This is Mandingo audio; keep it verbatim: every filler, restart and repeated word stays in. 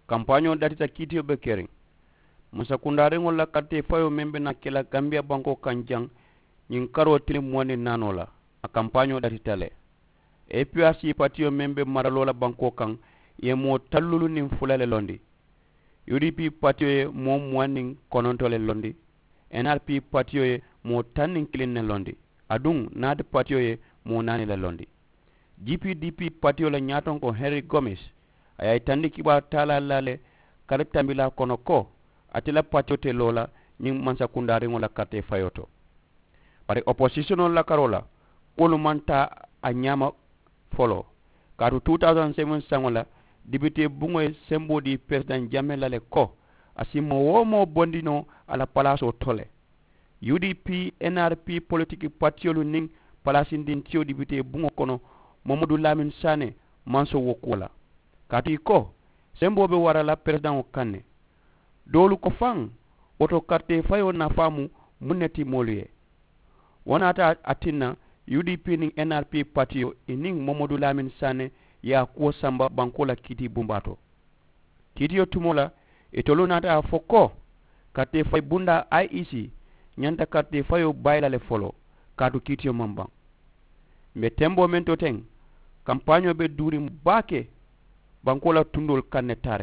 Kampaañoo datita kiitiyo be keriŋ. Mansakundaariŋolu la karitee fayoo meŋ be naa ke la gambiya bankoo kaŋ jaŋ, ñiŋ karoo tiliŋ muwaŋ niŋ naanoo la, a kampaañoo datita le. A p r c patiyo meŋ be maraloo la bankoo kaŋ, i ye moo taŋ luulu niŋ fula le londi. U d p patiyo ye moo muwaŋ niŋ kononto le londi. N r p patiyo ye moo taŋ niŋ kiliŋ ne londi. Aduŋ naati patiyo ye moo naani le londi. G p d p patiyo la ñaatonkoo henri gomes, a ye a yitandi kibaaru taalaa la le kari tambilaa kono ko, ate la patiyo te loo la ñiŋ mansakundaariŋo la karitee fayoo to. Bari oposisiyonoo la karoo la, kuwolu maŋ taa a ñaama. Foloo kaatu two thousand seven saŋo la, dibitee buŋo ye semboo dii peresidaŋ jamee la le ko, a si moo-wo-moo bondi noo a la palaasoo to le. U d p, n r p politiki patiyolu niŋ palaasindintiyo dibitee buŋo kono, mamadu laamin saane maŋ soŋ wo kuwo la. Kaatu i ko, semboo be wara la peresidaŋo kaŋ ne. Doolu ko faŋ, wo to karitee fayoo nafaa mu muŋ ne ti moolu ye? Wo naata a tinna, u d p niŋ n r p patiyo i niŋ mamadu laamin saane ye a kuwo samba bankoo la kiitii bumbaa to. Kiitiyo tumoo la, itolu naata a fo ko, karitee fayi bundaa i e c ñanta karitee fayoo bayi la le foloo, kaatu kiitiyo maŋ baŋ. M̀ be temboo meŋ to teŋ, kampaañoo be duuriŋ baake bankoo la tundoolu kaŋ ne taariŋ.